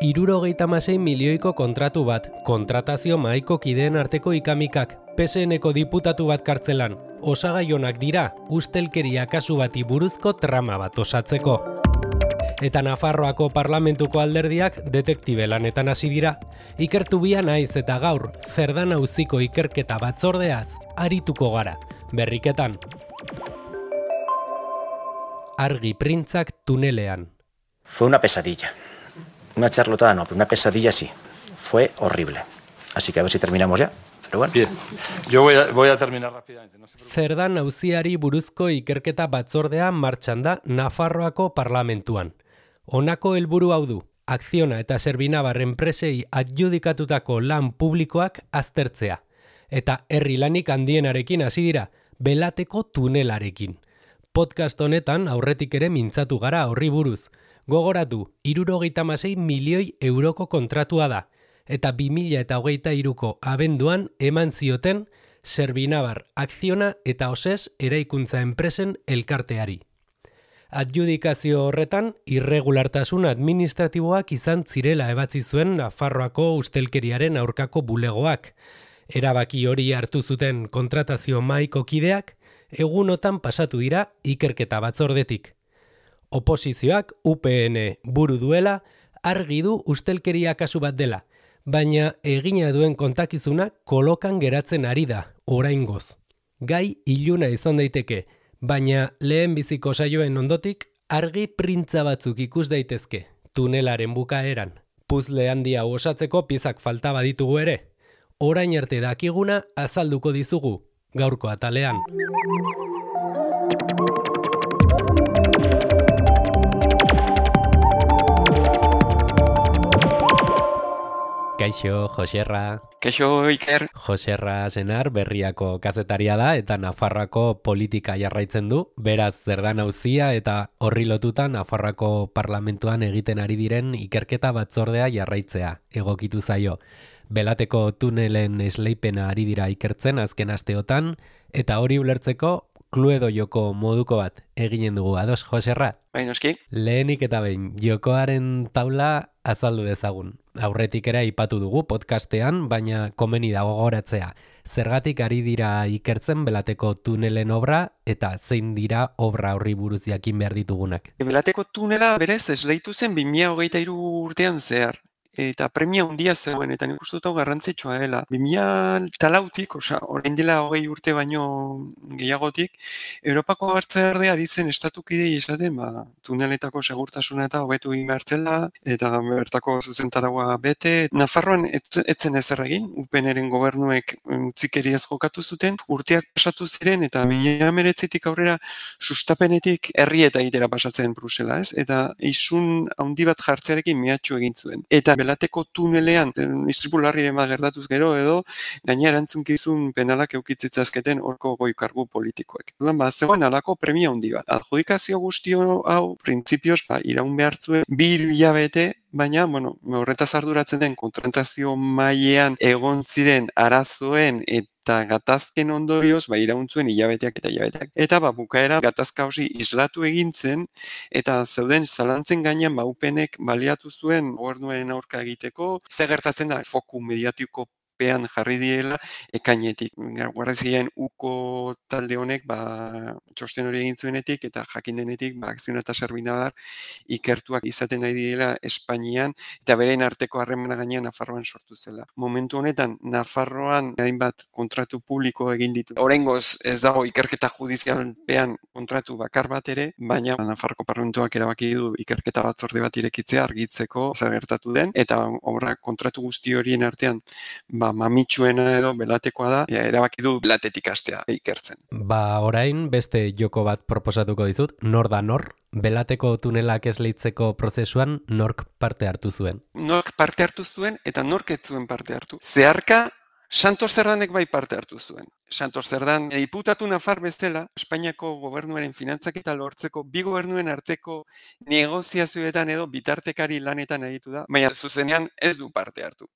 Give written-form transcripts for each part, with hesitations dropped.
€66 milioiko kontratu bat, kontratazio mahaiko kideen arteko ikamikak, PSN-eko diputatu bat kartzelan, osagaionak dira ustelkeria kasu bati buruzko trama bat osatzeko. Eta Nafarroako parlamentuko alderdiak detektibe lanetan hasi dira. Ikertu bia naiz eta gaur, Zerdan auziko ikerketa batzordeaz arituko gara, berriketan. Argi printzak tunelean. Fue una pesadilla. Una charlotada no, pero una pesadilla sí. Fue horrible. Así que a ver si terminamos ya. Pero bueno. Bien. Yo voy a terminar rápidamente. No se preocupe. Zerdan auziari buruzko ikerketa batzordea martxan da Nafarroako parlamentuan. Honako helburu hau du, Akziona eta Servinabar enpresei adjudikatutako lan publikoak aztertzea. Eta herri lanik handienarekin hasi dira, Belateko tunelarekin. Podcast honetan aurretik ere mintzatu gara horri buruz. Gogoratu, €66 milioi kontratua da, eta 2023ko abenduan eman zioten Servinabar, Akziona eta OSES eraikuntza enpresen elkarteari. Adjudikazio horretan, irregulartasun administratiboak izan zirela ebatzi zuen Nafarroako ustelkeriaren aurkako bulegoak. Erabaki hori hartu zuten kontratazio mahaiko kideak, egunotan pasatu dira ikerketa batzordetik. Oposizioak UPN buru duela, argi du ustelkeria kasu bat dela, baina egina duen kontakizuna kolokan geratzen ari da, oraingoz. Gai iluna izan daiteke, baina lehen biziko saioen ondotik argi printza batzuk ikus daitezke, tunelaren bukaeran. Puzzle handia osatzeko piezak falta baditugu ere. Orain arte dakiguna azalduko dizugu, gaurko atalean. Kaixo, Joserra. Kaixo, Iker. Joserra Senar berriako kazetaria da eta Nafarroako politika jarraitzen du. Beraz, Zerdan auzia eta horri lotuta Nafarroako parlamentuan egiten ari diren ikerketa batzordea jarraitzea, egokitu zaio. Belateko tunelen esleipena ari dira ikertzen azken asteotan, eta hori ulertzeko Cluedo joko moduko bat eginen dugu. Ados, Joserra? Bai, noski. Lehenik eta behin, jokoaren taula azaldu dezagun. Aurretik ere aipatu dugu podcastean, baina komeni dago gogoratzea. Zergatik ari dira ikertzen Belateko tunelen obra eta zein dira obra horri buruz jakin behar ditugunak. Belateko tunela berez esleitu zen 2023 urtean zehar. Eta premia handia zegoen, eta nik uste dut hau garrantzitsua dela. 2004tik, orain dela 20 urte baino gehiagotik, Europako Batzordea ari zen estatukidei esaten, tuneletako segurtasuna eta hobetu egin behar zela, eta bertako zuzentaragoa bete. Nafarroan etzen ezer egin, UPNren gobernuek utzikeriaz jokatu zuten, urteak pasatu ziren, eta 2019tik aurrera sustapenetik herri eta egitera pasatzen Brusela, ez? Eta isun handi bat jartzearekin mehatxu egin zuen. Eta Belateko tunelean, istripu larriren bat gertatuz gero edo, gaina erantzunkizun penalak eukitzitzazketen horko goi-kargu politikoek. Zegoen alako premia handi bat. Adjudikazio guztio hau, printzipioz, iraun behar zuen, 2 hilabete, baina, horretaz arduratzen den kontratazio mailean egon ziren arazoen eta gatazken ondorioz, irauntzuen hilabeteak eta hilabeteak. Eta bukaera gatazka hori islatu egintzen, eta zeuden zalantzen gainean UPNek baliatu zuen gobernuaren aurka egiteko, ze gertatzen da foku mediatiko pean jarri direla ekainetik. Guardiziaren uko talde honek txosten hori egin zuenetik eta jakin denetik Akziona eta Servinabar ikertuak izaten nahi direla Espainian eta beren arteko harremana gainean Nafarroan sortu zela. Momentu honetan Nafarroan hainbat kontratu publiko egin ditu. Oraingoz ez dago ikerketa judizialpean kontratu bakar bat ere, baina Nafarroko parlamentuak erabaki du ikerketa batzorde bat irekitzea argitzeko zer gertatu den eta obra kontratu guzti horien artean mamitsuena edo Belatekoa da, erabaki du Belatetik hastea ikertzen. Orain beste joko bat proposatuko dizut, nor da nor? Belateko tunelak esleitzeko prozesuan nork parte hartu zuen? Nork parte hartu zuen eta nork ez zuen parte hartu. Zeharka, Santos Zerdanek bai parte hartu zuen. Santos Zerdan, diputatu nafar bezala, Espainiako gobernuaren finantzaketa lortzeko bi gobernuen arteko negoziazioetan edo bitartekari lanetan aritu da, baina zuzenean ez du parte hartu.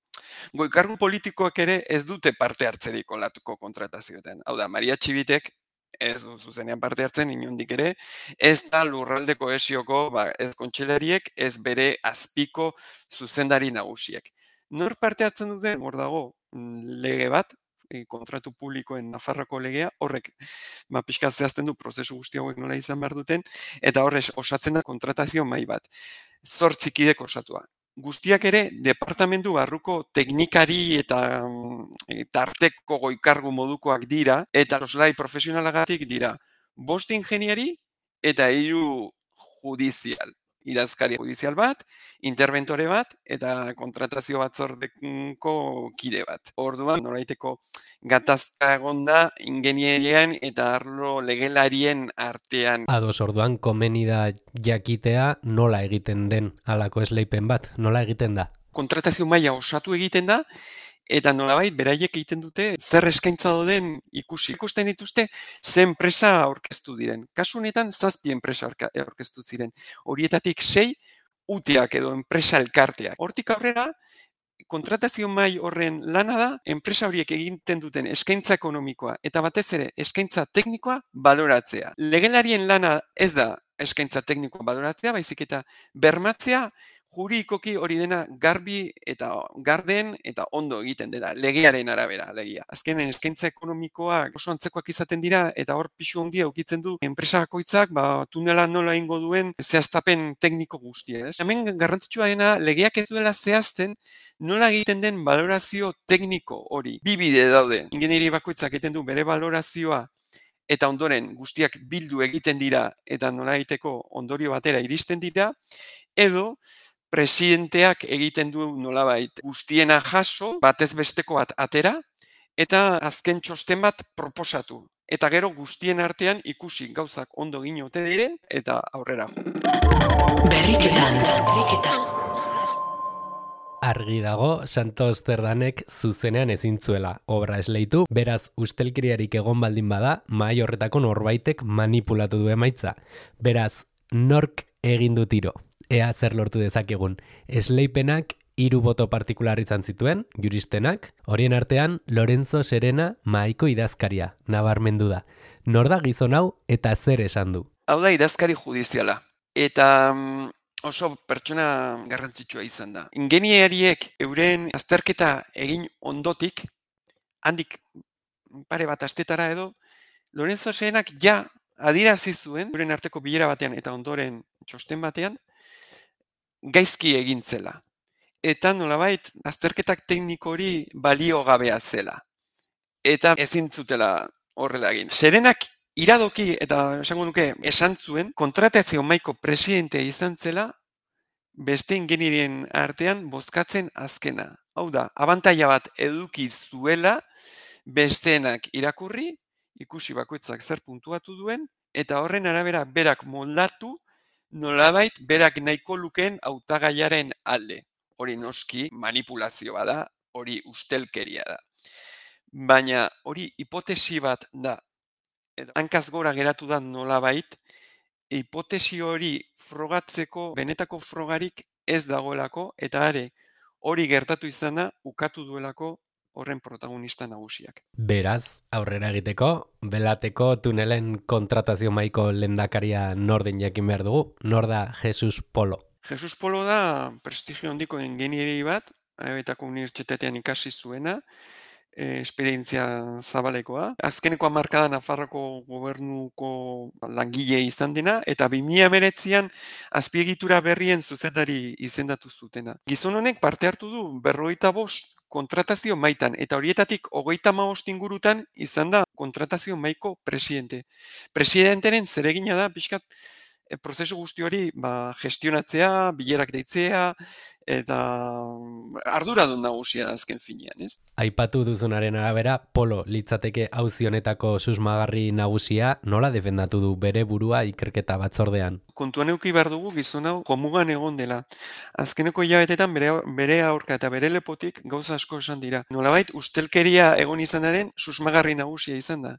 Goi-kargu politikoak ere ez dute parte hartzerik olatuko kontratazioetan. Hau da, Maria Txibitek ez du zuzenean parte hartzen inondik ere, ez da lurralde kohesioko ez kontseilariek, ez bere azpiko zuzendari nagusiek. Nor parte hartzen duten, hor dago lege bat, kontratu publikoen Nafarroko legea, horrek pixka zehazten du prozesu guzti hauek nola izan behar duten, eta horrez osatzen da kontratazio mahai bat. 8 kidek osatua. Guztiak ere, departamentu barruko teknikari eta tarteko goikargu modukoak dira, eta soslai profesionalagatik dira 5 ingeniari eta 3 judizial. Idazkari judizial bat, interventore bat, eta kontratazio batzordeko kide bat. Orduan, noraiteko gatazka egonda ingenierian eta arlo legelarien artean. Ados, orduan komeni da jakitea nola egiten den halako esleipen bat, nola egiten da? Kontratazio maila osatu egiten da, eta nolabait beraiek egiten dute zer eskaintza dauden ikusi. Ikusten dituzte ze enpresa aurkeztu diren. Kasu honetan 7 enpresa aurkeztu ziren. Horietatik 6 uteak edo enpresa elkarteak. Hortik aurrera, kontratazio mahai horren lana da, enpresa horiek egiten duten eskaintza ekonomikoa eta batez ere eskaintza teknikoa baloratzea. Legelarien lana ez da eskaintza teknikoa baloratzea, baizik eta bermatzea juridikoki hori dena garbi eta garden eta ondo egiten dela, legearen arabera, legia. Azkenen eskaintza ekonomikoak oso antzekoak izaten dira eta hor pisu handia ukitzen du enpresa bakoitzak tunela nola ingo duen zehaztapen tekniko guztia. Hemen garrantzitsua dena legeak ez duela zehazten nola egiten den balorazio tekniko hori. Bi bide daude. Ingenieri bakoitzak egiten du bere balorazioa eta ondoren guztiak bildu egiten dira eta nola egiteko ondorio batera iristen dira, edo presidenteak egiten du nolabait guztiena jaso, batez besteko bat atera, eta azken txosten bat proposatu. Eta gero guztien artean ikusi gauzak ondo ginote diren eta aurrera. Berriketan. Argi dago, Santos Zerdanek zuzenean ezin zuela obra esleitu, beraz ustelkeriarik egon baldin bada, mahai horretako norbaitek manipulatu du emaitza. Beraz, nork egin du tiro? Ea zer lortu dezakegun. Esleipenak 3 boto partikular izan zituen, juristenak, horien artean Lorenzo Serena mahaiko idazkaria, nabarmendu da. Nor da gizon hau eta zer esan du? Hau da idazkari judiziala. Eta oso pertsona garrantzitsua izan da. Ingenieriek euren azterketa egin ondotik, handik pare bat astetara edo, Lorenzo Serenak ja adierazi zuen, euren arteko bilera batean eta ondoren txosten batean, gaizki egintzela. Eta nolabait, azterketak tekniko hori baliogabea zela. Eta ezin zutela horrela egin. Serenak iradoki eta esango nuke esan zuen, kontratazio mahaiko presidente izan zela, beste ingenierien artean bozkatzen azkena. Hau da, abantaila bat eduki zuela, besteenak irakurri, ikusi bakoitzak zer puntuatu duen, eta horren arabera berak moldatu, nolabait berak nahiko lukeen hautagaiaren alde. Hori noski manipulazioa da, hori ustelkeria da. Baina hori hipotesi bat da, hankaz gora geratu da nolabait, hipotesi hori frogatzeko benetako frogarik ez dagoelako, eta hori gertatu izan da, ukatu duelako horren protagonista nagusiak. Beraz, aurrera egiteko, belateko tunelen kontratazio mahaiko lehendakaria norden jakin behar dugu, nor da Jesus Polo. Jesus Polo da prestigio handiko ingenieri bat, Betako unibertsitatean ikasi zuena, esperientzia zabalekoa. Azkeneko hamarkada Nafarroko gobernuko langile izan dena, eta 2019an azpiegitura berrien zuzendari izendatu zutena. Gizon honek parte hartu du 45 kontratazio maitan, eta horietatik 35 ingurutan izan da kontratazio mahaiko presidente. Presidenteren zeregina da, pixkat, prozesu guzti hori gestionatzea, bilerak deitzea, eta arduradun nagusia azken finean, ez? Aipatu duzunaren arabera, Polo litzateke auzi honetako susmagarri nagusia, nola defendatu du bere burua ikerketa batzordean? Kontuan eduki behar dugu gizon hau jomugan egon dela. Azkeneko hilabetetan bere aurka eta bere lepotik gauza asko esan dira. Nolabait ustelkeria egon izanaren susmagarri nagusia izan da.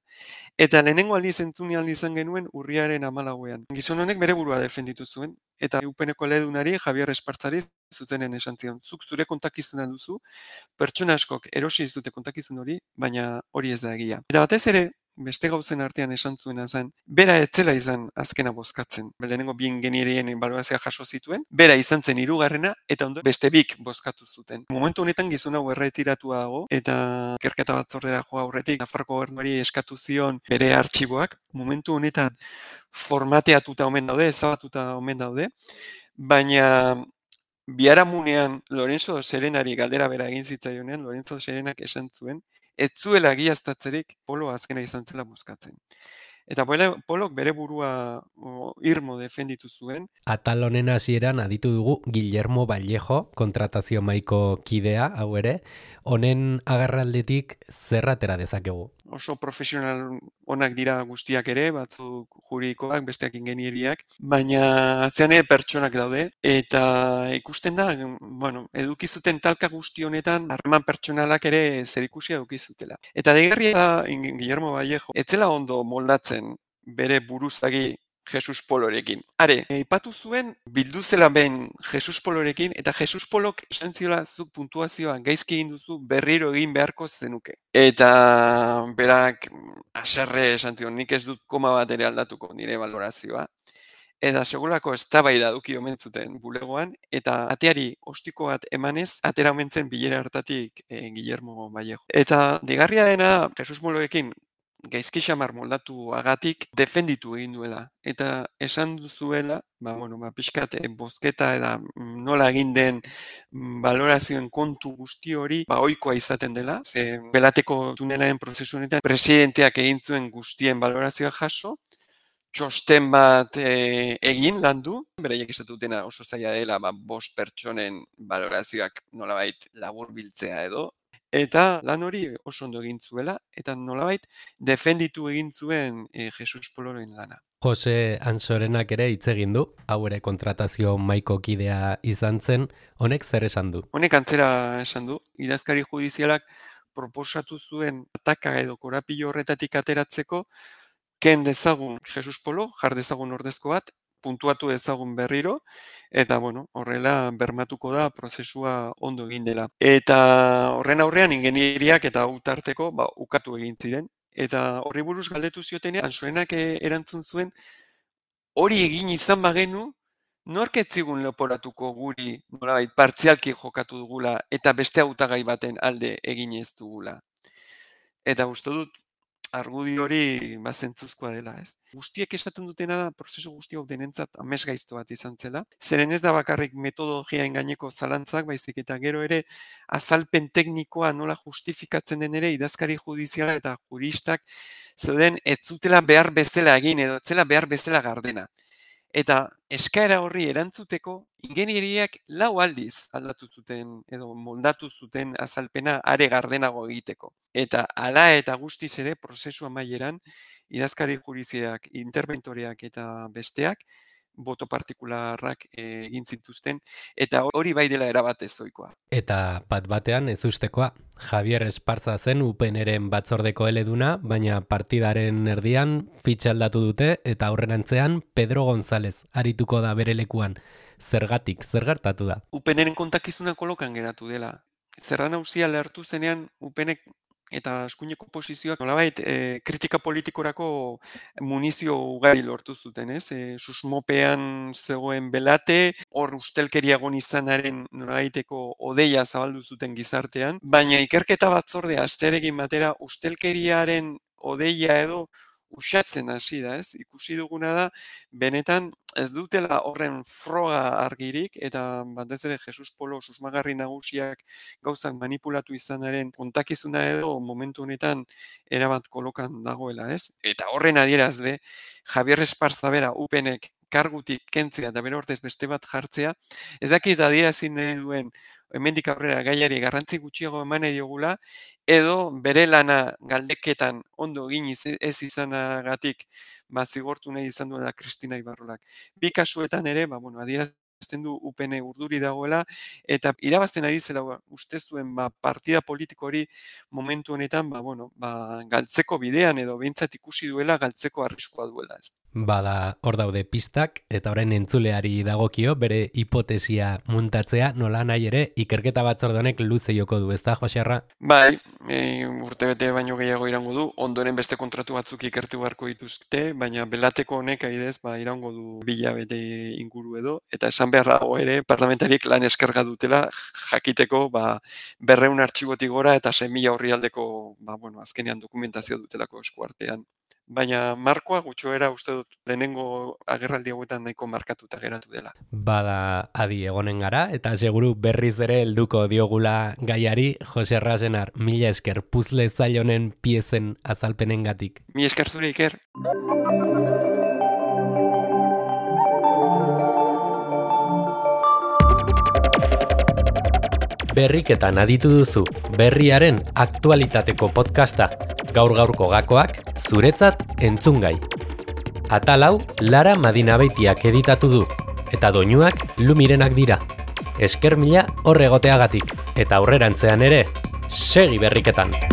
Eta lehenengo aldiz entzuni aldi izan genuen urriaren 14ean. Gizon honek bere burua defenditu zuen, eta UPNeko ledunari Javier Espartzari zuzenen esan zion, zuk zure kontakizuna duzu, pertsona askok erosi ez dute kontakizun hori, baina hori ez da egia. Eta batez ere, beste gauzen artean esan zuena zen, bera etzela izan azkena bozkatzen. Lehenengo bi ingenierien balorazioa jaso zituen, bera izan zen hirugarrena eta ondo beste bik bozkatu zuten. Momentu honetan gizon hau erretiratua dago eta ikerketa batzordera joa aurretik Nafarroko gobernuari eskatu zion bere artxiboak. Momentu honetan formateatuta omen daude, ezabatuta omen daude, baina biharamunean Lorenzo Serenari galdera bera egin zitzaionean, Lorenzo Serenak esan zuen, ez zuela egiaztatzerik Polo azkena izan zela bozkatzen. Eta Polok bere burua irmo defenditu zuen. Atal honen hasieran aditu dugu Guillermo Vallejo, kontratazio mahaiko kidea, hau ere, honen agerraldetik zer atera dezakegu? Oso profesional onak dira guztiak ere, batzuk juridikoak, besteak ingenieriak, baina atzean pertsonak daude, eta ikusten da, bueno, eduki zuten talka guzti honetan, harreman pertsonalak ere zerikusia eduki zutela. Eta deigarria da, Guillermo Vallejo, etzela ondo moldatzen bere buruzagi Jesus Polorekin. Are, aipatu zuen, bildu zela behin Jesus Polorekin, eta Jesus Polok esan ziola zuk puntuazioa gaizki egin duzu berriro egin beharko zenuke. Eta berak haserre esan zion, nik ez dut koma bat ere aldatuko nire valorazioa. Eta segulako eztabaida eduki omen zuten bulegoan, eta ateari ostiko bat emanez, atera omen zen bilera hartatik Guillermo Vallejo. Eta digarria dena, Jesus Polorekin gaizki xamar moldatu agatik defenditu egin duela. Eta esan duzuela, pixkat bozketa eta nola egin den balorazioen kontu guzti hori ohikoa izaten dela. Ze belateko tunelaren prozesu honetan presidenteak egin zuen guztien balorazioa jaso, txosten bat egin landu, beraiek esatu dutena oso zaila dela, bost pertsonen balorazioak nolabait laburbiltzea edo, eta lan hori oso ondo egin zuela, eta nolabait defenditu egin zuen Jesus Poloren lana. Jose Ansorenak ere hitz egin du, hau ere kontratazio mahaiko kidea izan zen, honek zer esan du? Honek antzera esan du, idazkari judizialak proposatu zuen ataka edo korapilo horretatik ateratzeko, ken dezagun Jesus Polo, jar dezagun ordezko bat, puntuatu dezagun berriro, eta horrela bermatuko da prozesua ondo egin dela. Eta horren aurrean ingenieriak eta utarteko ukatu egin ziren. Eta horri buruz galdetu ziotenean, Ansorenak erantzun zuen, hori egin izan bagenu, nork ez zigun leporatuko guri nolabait partzialki jokatu dugula eta beste hautagai baten alde egin ez dugula. Eta uste dut, argudio hori zentzuzkoa dela, ez? Guztiek esaten dutena da, prozesu guzti hau denentzat amesgaizto bat izan zela. Zeren ez da bakarrik metodologiaen gaineko zalantzak, baizik eta gero ere azalpen teknikoa nola justifikatzen den ere idazkari judiziala eta juristak zeuden ez zutela behar bezala egin edo ez zela behar bezala gardena. Eta eskaera horri erantzuteko, ingenieriak 4 aldiz aldatu zuten edo moldatu zuten azalpena are gardenago egiteko. Eta hala eta guztiz ere prozesu amaieran idazkari judiziak, interventoreak eta besteak boto partikularrak egin zituzten, eta hori bai dela erabat ezoikoa. Eta bat batean ez ustekoa, Javier Esparza zen UPNren batzordeko eleduna, baina partidaren erdian fitxa aldatu dute eta aurrerantzean Pedro González arituko da bere lekuan. Zergatik, zer gertatu da? UPNren kontakizuna kolokan geratu dela. Zerra nagusia lehartu zenean UPNek eta eskuineko posizioak nolabait kritika politikorako munizio ugari lortu zuten, ez? Susmopean zegoen belate, hor ustelkeria egon izanaren nolabaiteko odeia zabaldu zuten gizartean, baina ikerketa batzordea astearekin batera ustelkeriaren odeia edo uxatzen hasi da, ez? Ikusi duguna da, benetan ez dutela horren froga argirik, eta batez ere Jesus Polo susmagarri nagusiak gauzak manipulatu izanaren kontakizuna edo momentu honetan erabat kolokan dagoela, ez? Eta horren adierazle, Javier Esparza bera UPNek kargutik kentzea eta bere ordez beste bat jartzea, ez dakit adierazi nahi duen hemendik aurrera gaiari garrantzi gutxiago eman nahi diogula, edo bere lana galdeketan ondo egin ez izanagatik zigortu nahi izan duela Kristina Ibarrolak. Bi kasuetan ere, adierazten du UPN urduri dagoela, eta irabazten ari zela uste zuen partida politiko hori momentu honetan galtzeko bidean edo behintzat ikusi duela galtzeko arriskua duela, ez. Bada hor daude pistak, eta orain entzuleari dagokio bere hipotesia muntatzea, nola nahi ere ikerketa batzorde honek luze joko du, ezta, Joserra? Bai, urtebete baino gehiago irango du, ondoren beste kontratu batzuk ikertu beharko dituzte, baina belateko honek adibidez irango du 2 hilabete inguru edo, eta esan behar dago ere parlamentariek lan eskerga dutela jakiteko 200 artxibotik gora eta 6.000 orrialdeko azkenean dokumentazio dutelako eskuartean. Baina markoa gutxoera uste dut lehenengo agerraldi hauetan nahiko markatuta geratu dela. Bada adi egonen gara, eta seguru berriz ere helduko diogula gaiari. Joserra Senar, mila esker puzle zail honen piezen azalpenengatik. Mila esker zure, Iker. Berriketan aditu duzu, berriaren aktualitateko podcasta, gaur-gaurko gakoak, zuretzat entzungai. Atal hau Lara Madinabeitiak editatu du, eta doinuak Lumirenak dira. Esker mila horregoteagatik, eta aurrerantzean ere, segi berriketan!